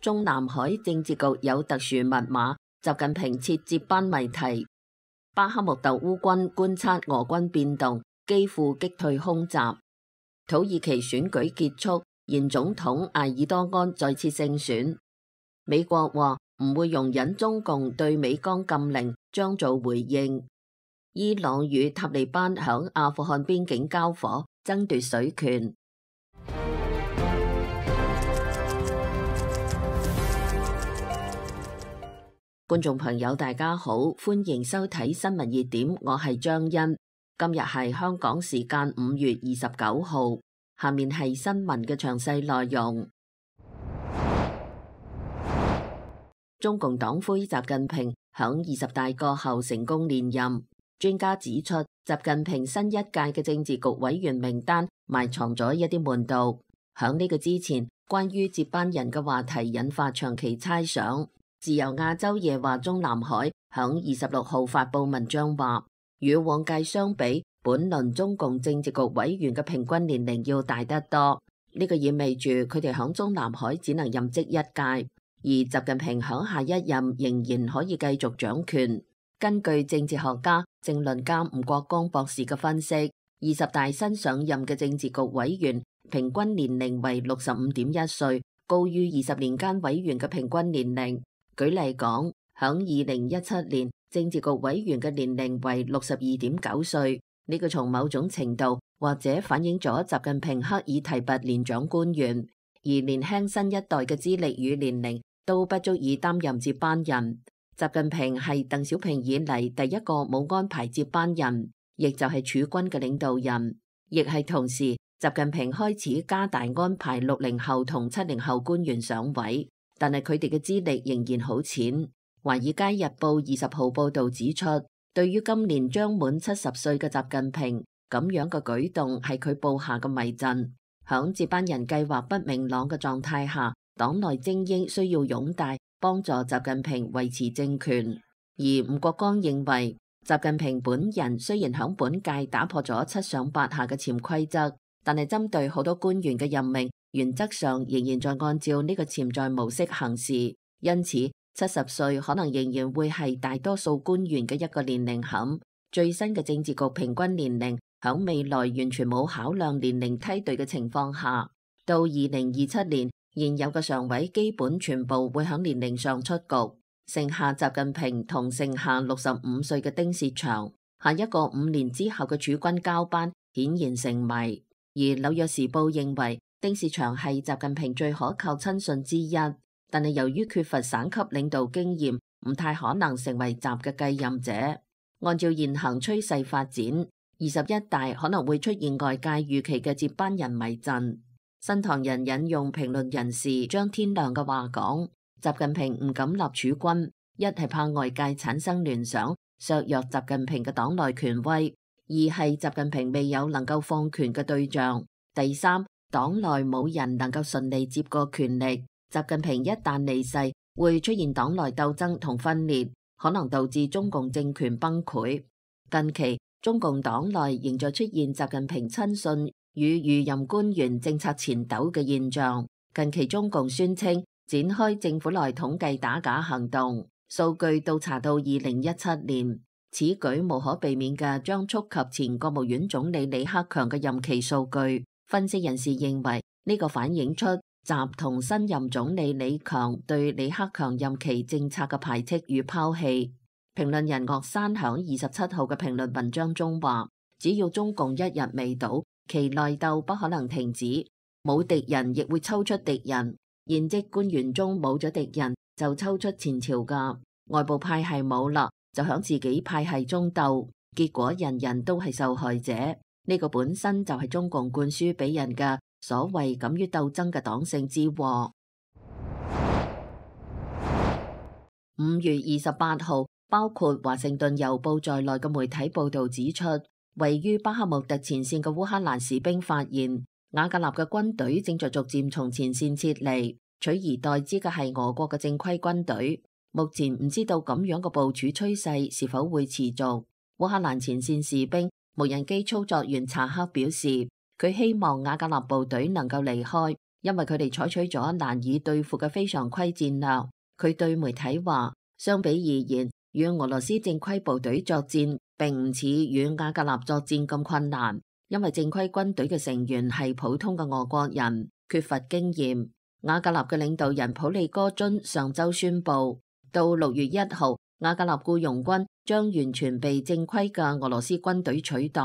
中南海政治局有特殊密碼，習近平設接班謎題。巴克穆特烏軍觀察俄軍變動，基輔擊退空襲。土耳其選舉結束，現總統埃爾多安再次勝選。美國話唔會容忍中共對美江禁令，將做回應。伊朗與塔利班響阿富汗邊境交火，爭奪水權。觀眾朋友大家好，歡迎收睇新聞熱點，我係張欣。今日係香港時間5月29號，下面係新聞嘅詳細內容。中共黨魁習近平響20大過後成功連任。專家指出，習近平新一屆嘅政治局委員名單埋藏咗一啲門道。響呢個之前，關於接班人嘅話題引發長期猜想。自由亞洲夜話中南海響26號發佈文章話，與往屆相比，本輪中共政治局委員嘅平均年齡要大得多。呢個意味住佢哋響中南海只能任職一屆，而習近平響下一任仍然可以繼續掌權。根據政治學家、政論家吳國光博士嘅分析，20大新上任嘅政治局委員平均年齡為65.1歲，高於20年間委員嘅平均年齡。舉例講，響2017年，政治局委員嘅年齡為62.9歲，呢個從某種程度或者反映咗習近平刻意提拔年長官員，而年輕新一代嘅資歷與年齡都不足以擔任接班人。習近平係鄧小平以嚟第一個冇安排接班人，亦就係儲軍嘅領導人，亦係同時習近平開始加大安排60後同70後官員上位。但係佢哋嘅資歷仍然好淺。華爾街日報20號報導指出，對於今年將滿70歲嘅習近平，咁樣嘅舉動係佢布下嘅迷陣。響接班人計劃不明朗嘅狀態下，黨內精英需要擁戴，幫助習近平維持政權。而吳國光認為，習近平本人雖然響本屆打破咗7上8下嘅潛規則，但係針對好多官員嘅任命，原則上仍然在按照呢個潛在模式行事，因此70歲可能仍然會係大多數官員嘅一個年齡坎。最新嘅政治局平均年齡響未來完全冇考量年齡梯隊嘅情況下，到2027年，現有嘅常委基本全部會響年齡上出局，剩下習近平同剩下65歲嘅丁薛祥。下一個5年之後嘅儲軍交班顯然成謎。而紐約時報認為，丁薛祥係習近平最可靠親信之一，但係由於缺乏省級領導經驗，唔太可能成為習嘅繼任者。按照現行趨勢發展，21大可能會出現外界預期嘅接班人迷陣。新唐人引用評論人士張天亮嘅話講，習近平唔敢立儲軍，一係怕外界產生聯想，削弱習近平嘅黨內權威；二係習近平未有能夠放權嘅對象；第三，黨內冇人能夠順利接過權力，習近平一旦離世，會出現黨內鬥爭同分裂，可能導致中共政權崩潰。近期中共黨內仍在出現習近平親信與餘任官員政策纏鬥嘅現象。近期中共宣稱展開政府內統計打假行動，數據倒查到2017年，此舉無可避免嘅將觸及前國務院總理李克強嘅任期數據。分析人士認為，呢個反映出習同新任總理李強對李克強任期政策嘅排斥與拋棄。評論人岳山響27號嘅評論文章中話，只要中共一日未倒，其內鬥不可能停止，冇敵人亦會抽出敵人。現職官員中冇咗敵人，就抽出前朝㗎，外部派系冇啦，就響自己派系中鬥，結果人人都係受害者。呢個本身就係中共灌輸俾人嘅所謂敢於鬥爭嘅黨性之禍。5月28號，包括華盛頓郵報在內嘅媒體報道指出，位於巴克穆特前線嘅烏克蘭士兵發現，瓦格納嘅軍隊正在逐漸從前線撤離，取而代之嘅係俄國嘅正規軍隊。目前唔知道咁樣嘅部署趨勢是否會持續。烏克蘭前線士兵無人機操作員查克表示，佢希望瓦格納部隊能夠離開，因為佢哋採取咗難以對付嘅非常規戰略。佢對媒體話，相比而言，與俄羅斯正規部隊作戰並唔似與瓦格納作戰咁困難，因為正規軍隊嘅成員係普通嘅俄國人，缺乏經驗。瓦格納嘅領導人普利戈津上週宣布，到6月1號，瓦格納僱傭軍將完全被正規嘅俄羅斯軍隊取代，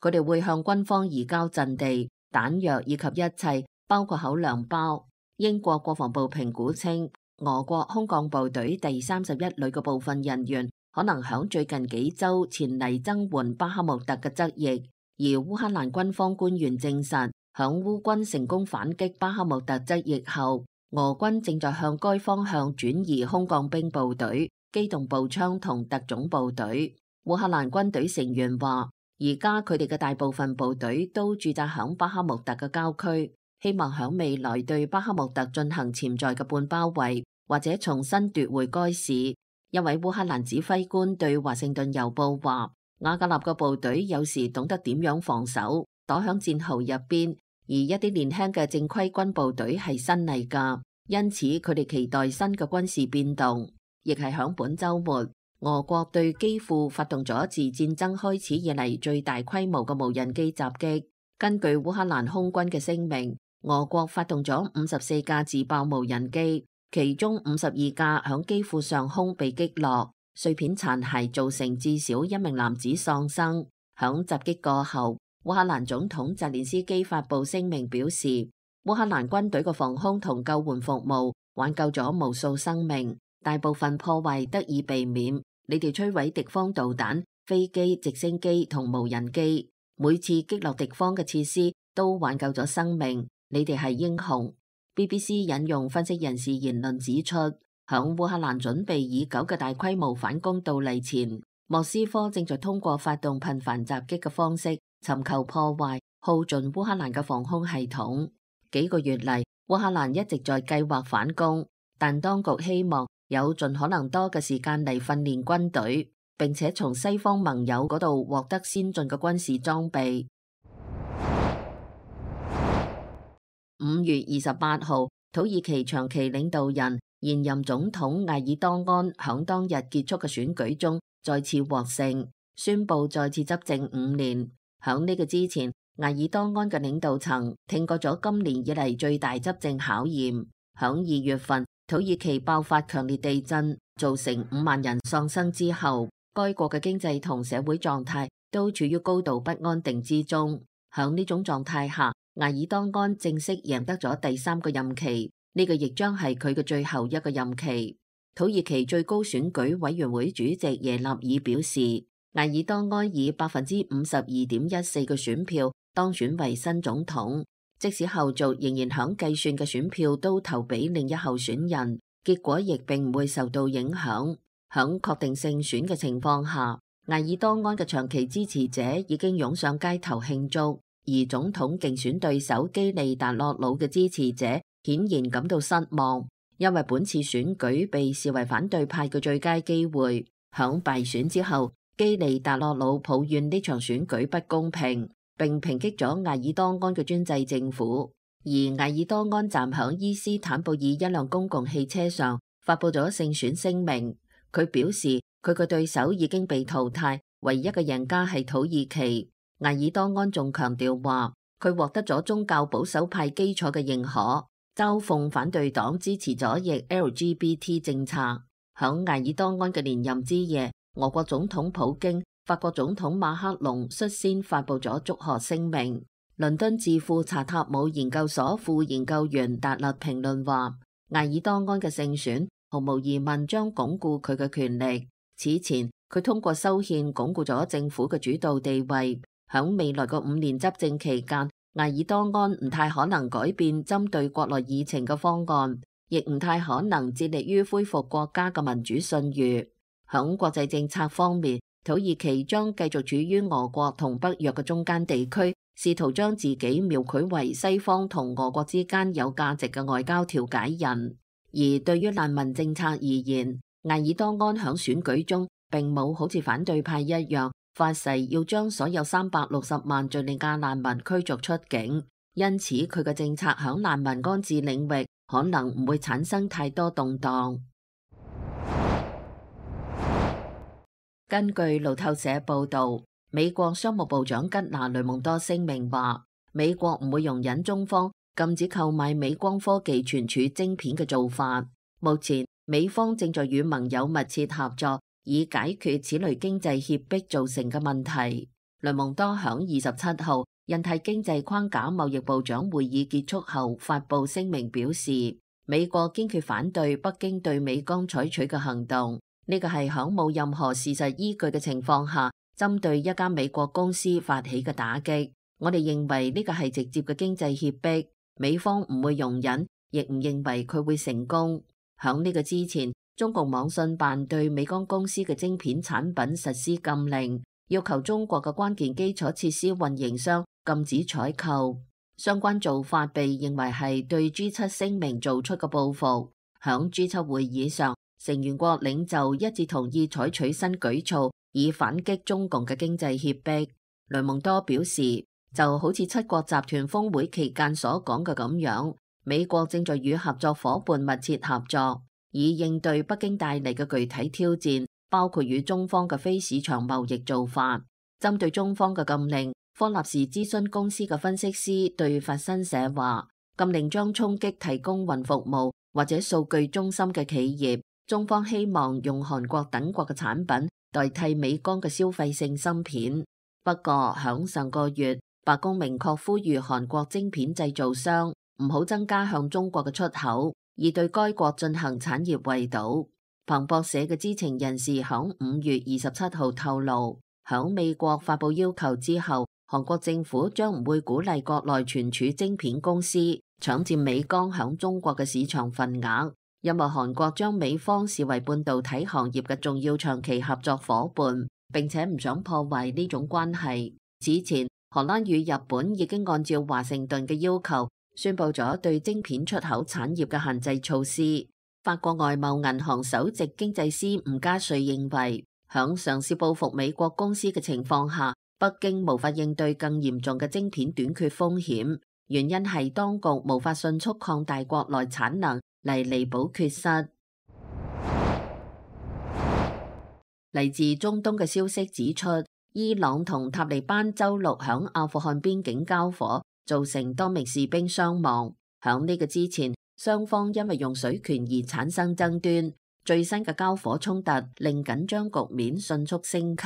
佢哋會向軍方移交陣地、彈藥以及一切，包括口糧包。英國國防部評估稱，俄國空降部隊第31旅嘅部分人員可能響最近幾週前嚟增援巴克穆特嘅側翼，而烏克蘭軍方官員證實，響烏軍成功反擊巴克穆特側翼後，俄軍正在向該方向轉移空降兵部隊、機動步槍同特種部隊。烏克蘭軍隊成員話，而家佢哋嘅大部分部隊都駐紮響巴克穆特嘅郊區，希望響未來對巴克穆特進行潛在嘅半包圍，或者重新奪回該市。一位烏克蘭指揮官對華盛頓郵報話，瓦格納嘅部隊有時懂得點樣防守，躲響戰壕入邊，而一啲年輕嘅正規軍部隊係新嚟㗎，因此佢哋期待新嘅軍事變動。亦係響本週末，俄國對基輔發動咗自戰爭開始以嚟最大規模嘅無人機襲擊。根據烏克蘭空軍嘅聲明，俄國發動咗54架自爆無人機，其中52架響基輔上空被擊落，碎片殘骸造成至少1名男子喪生。響襲擊過後，烏克蘭總統澤連斯基發布聲明表示，烏克蘭軍隊嘅防空同救援服務挽救咗無數生命，大部分破壞得以避免。你哋摧毀敵方導彈、飛機、直升機同無人機，每次擊落敵方嘅設施都挽救咗生命，你哋係英雄。BBC 引用分析人士言論指出，響烏克蘭準備已久嘅大規模反攻到嚟前，莫斯科正在通過發動頻繁襲擊嘅方式尋求破壞、耗盡烏克蘭嘅防空系統。幾個月嚟，烏克蘭一直在計劃反攻，但當局希望有盡可能多嘅時間嚟訓練軍隊，並且從西方盟友嗰度獲得先進嘅軍事裝備。5月28號，土耳其長期領導人現任總統艾爾多安響當日結束嘅選舉中再次獲勝，宣布再次執政5年。響呢個之前，艾爾多安嘅領導層挺過咗今年以嚟最大執政考驗。響2月份，土耳其爆發強烈地震，造成5萬人喪生之後，該國嘅經濟同社會狀態都處於高度不安定之中。響呢種狀態下，艾爾多安正式贏得咗第3個任期，呢個亦將係佢嘅最後一個任期。土耳其最高選舉委員會主席耶納爾表示，艾爾多安以52.14%嘅選票當選為新總統，即使後續仍然響計算嘅選票都投俾另一候選人，結果亦並唔會受到影響。響確定勝選嘅情況下，艾爾多安嘅長期支持者已經湧上街頭慶祝。而總統競選對手基利達洛魯嘅支持者顯然感到失望，因為本次選舉被視為反對派嘅最佳機會。響敗選之後，基利達洛魯抱怨呢場選舉不公平，並抨擊咗艾爾多安嘅專制政府。而艾爾多安站響伊斯坦布爾一輛公共汽車上發佈咗勝選聲明，佢表示佢嘅對手已經被淘汰，唯一嘅贏家係土耳其。艾爾多安仲強調話，佢獲得咗宗教保守派基礎嘅認可，嘲諷反對黨支持左翼 LGBT 政策。響艾爾多安嘅連任之夜，俄國總統普京、法國總統馬克龍率先發佈咗祝賀聲明。倫敦智庫查塔姆研究所副研究員達勒評論話，艾爾多安嘅勝選毫無疑問將鞏固佢嘅權力。此前，佢通過修憲鞏固咗政府嘅主導地位。響未來嘅5年執政期間，艾爾多安唔太可能改變針對國內議程嘅方案，亦唔太可能致力於恢復國家嘅民主信譽。響國際政策方面，土耳其將繼續處於俄國同北約嘅中間地區，試圖將自己描繪為西方同俄國之間有價值嘅外交調解人。而對於難民政策而言，艾爾多安響選舉中並冇好似反對派一樣發誓要將所有360萬敘利亞難民驅逐出境，因此佢嘅政策響難民安置領域可能唔會產生太多動盪。根據路透社報導，美國商務部長吉娜雷蒙多聲明話，美國唔會容忍中方禁止購買美光科技存儲晶片嘅做法。目前，美方正在與盟友密切合作，以解決此類經濟脅迫造成嘅問題。雷蒙多響27號印太經濟框架貿易部長會議結束後發布聲明表示，美國堅決反對北京對美光採取嘅行動。呢個係響冇任何事實依據嘅情況下，針對一家美國公司發起嘅打擊。我哋認為呢個係直接嘅經濟脅迫，美方唔會容忍，亦唔認為佢會成功。響呢個之前，中共網信辦對美光公司嘅晶片產品實施禁令，要求中國嘅關鍵基礎設施運營商禁止採購。相關做法被認為係對 G7 聲明做出嘅報復。響 G7 會議上，成員國領袖一致同意採取新舉措，以反擊中共嘅經濟脅迫。雷蒙多表示，就好似七國集團峰會期間所講嘅咁樣，美國正在與合作夥伴密切合作，以應對北京帶嚟嘅具體挑戰，包括與中方嘅非市場貿易做法。針對中方嘅禁令，科納士諮詢公司嘅分析師對法新社話，禁令將衝擊提供雲服務或者數據中心嘅企業。中方希望用韓國等國嘅產品代替美光嘅消費性芯片。不過響上個月，白宮明確呼籲韓國晶片製造商唔好增加向中國嘅出口，而對該國進行產業圍堵。彭博社嘅知情人士響5月27號透露，響美國發布要求之後，韓國政府將唔會鼓勵國內存儲晶片公司搶佔美光響中國嘅市場份額。因為韓國將美方視為半導體行業嘅重要長期合作夥伴，並且唔想破壞呢種關係。此前，荷蘭與日本已經按照華盛頓嘅要求，宣布咗對晶片出口產業嘅限制措施。法國外貿銀行首席經濟師吳嘉瑞認為，響嘗試報復美國公司嘅情況下，北京無法應對更嚴重嘅晶片短缺風險，原因係當局無法迅速擴大國內產能嚟彌補缺失。嚟自中東嘅消息指出，伊朗同塔利班周六響阿富汗邊境交火，造成多名士兵傷亡。響呢個之前，雙方因為用水權而產生爭端。最新嘅交火衝突令緊張局面迅速升級。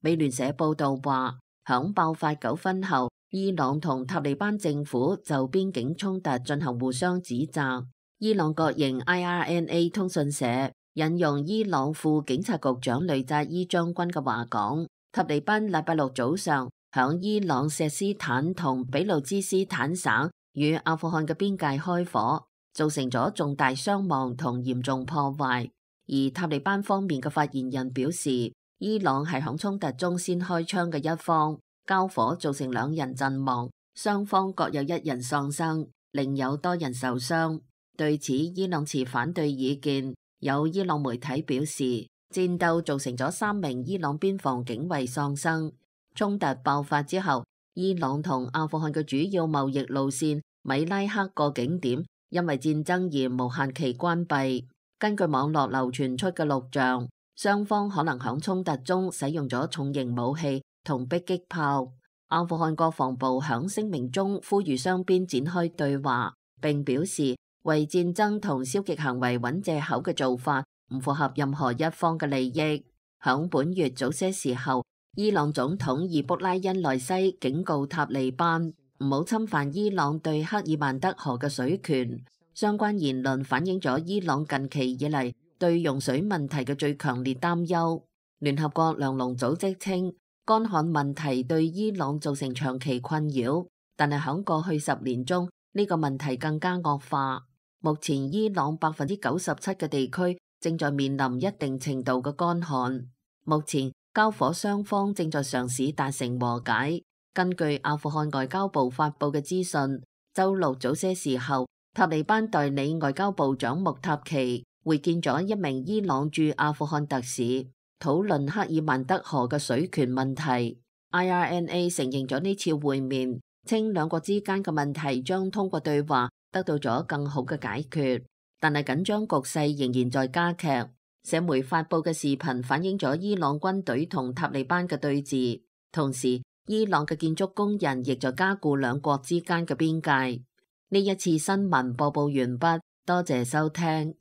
美聯社報道話，響爆發糾紛後，伊朗同塔利班政府就邊境衝突進行互相指責。伊朗國營 IRNA 通訊社引用伊朗副警察局長雷扎伊將軍嘅話講，塔利班禮拜六早上響伊朗錫斯坦同俾路支斯坦省與阿富汗嘅邊界開火，造成咗重大傷亡同嚴重破壞。而塔利班方面嘅發言人表示，伊朗係響衝突中先開槍嘅一方，交火造成2人陣亡，雙方各有1人喪生，另有多人受傷。對此，伊朗持反對意見。有伊朗媒體表示，戰鬥造成咗3名伊朗邊防警衛喪生。衝突爆發之後，伊朗同阿富汗嘅主要貿易路線米拉克個景點因為戰爭而無限期關閉。根據網絡流傳出嘅錄像，雙方可能響衝突中使用咗重型武器同迫擊炮。阿富汗國防部響聲明中呼籲雙邊展開對話，並表示為戰爭同消極行為揾藉口嘅做法唔符合任何一方嘅利益。響本月早些時候，伊朗總統易卜拉欣萊西警告塔利班唔好侵犯伊朗對克爾曼德河嘅水權。相關言論反映咗伊朗近期以嚟對用水問題嘅最強烈擔憂。聯合國糧農組織稱，乾旱問題對伊朗造成長期困擾，但係響過去10年中，呢個問題更加惡化。目前伊朗97%嘅地區正在面臨一定程度嘅乾旱。目前交火雙方正在嘗試達成和解。根據阿富汗外交部發布嘅資訊，周六早些時候，塔利班代理外交部長穆塔奇會見咗一名伊朗駐阿富汗特使，討論克爾曼德河嘅水權問題。IRNA 承認咗呢次會面，稱兩國之間嘅問題將通過對話得到咗更好嘅解決，但係緊張局勢仍然在加劇。社媒發布嘅視頻反映咗伊朗軍隊同塔利班嘅對峙，同時伊朗嘅建築工人亦在加固兩國之間嘅邊界。呢一次新聞播報完畢，多謝收聽。